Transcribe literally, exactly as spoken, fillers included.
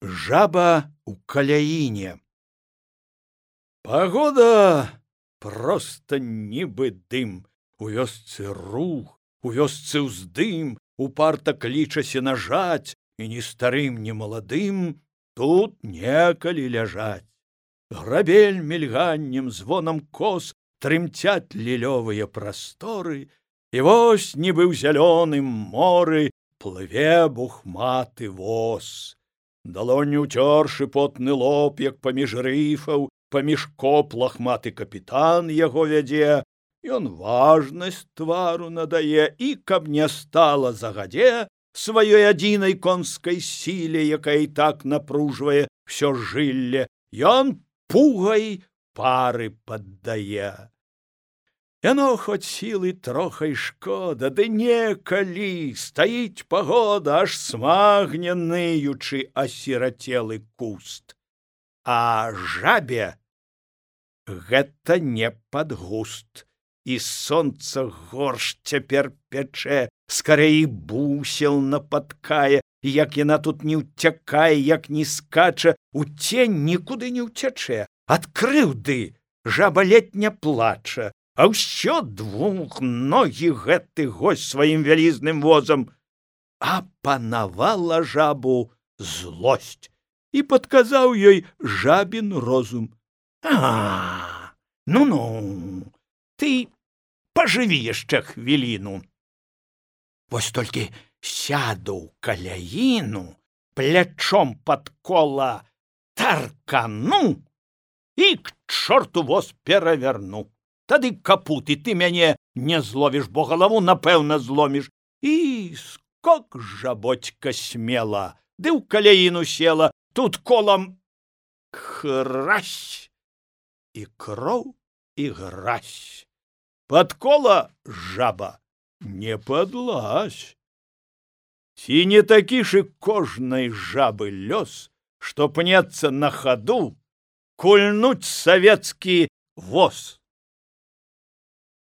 Жаба у каляине. Погода просто нібы дым. У вёсцы рух, у вёсцы ўздым, упарта клічася нажаць, і ні старым, ні маладым тут некалі ляжаць. Грабель мільганнем, звонам кос трымцяць лілёвыя прасторы, і вось нібы ў зялёным моры плыве бухматы воз. Далонню ўцёршы потны лоб, як паміж рыфаў, паміж коп лахматы капітан яго вядзе. Ён важнасць твару надае, і каб не стала загадзе сваёй адзінай конскай сіле, якая і так напружвае всё жылле, ён пугай пары паддае. Яно хоць сілы троха й шкода, ды некалі стаіць пагода, аж смагне ныючы асірацелы куст. А жабе гэта не пад густ. І сонца горш цяпер пячэ, скарэй бусел напаткае, як яна тут не ўцякае, як не скача, у цень нікуды не ўцячэ. Ад крыўды жаба ледь не плача, а ўсё двухногі гэты госць сваім вялізным возам. Апанавала жабу злосць, і падказаў ёй жабін розум. А, ну-ну, ты пажыві яшчэ хвіліну. Вось толькі сяду ў каляіну, плячом пад кола таркану і к чорту воз пераверну. Тады капуты ты мяне не зловіш, бо галаву напэўна зломіш. І скок жаботька смела, ды ў каляіну села, тут колам хрась, і кроў, і гразь. Пад кола жаба не падлазь. Ці не такі ж і кожнай жабы лёс, што пнецца на хаду кульнуць савецкі воз.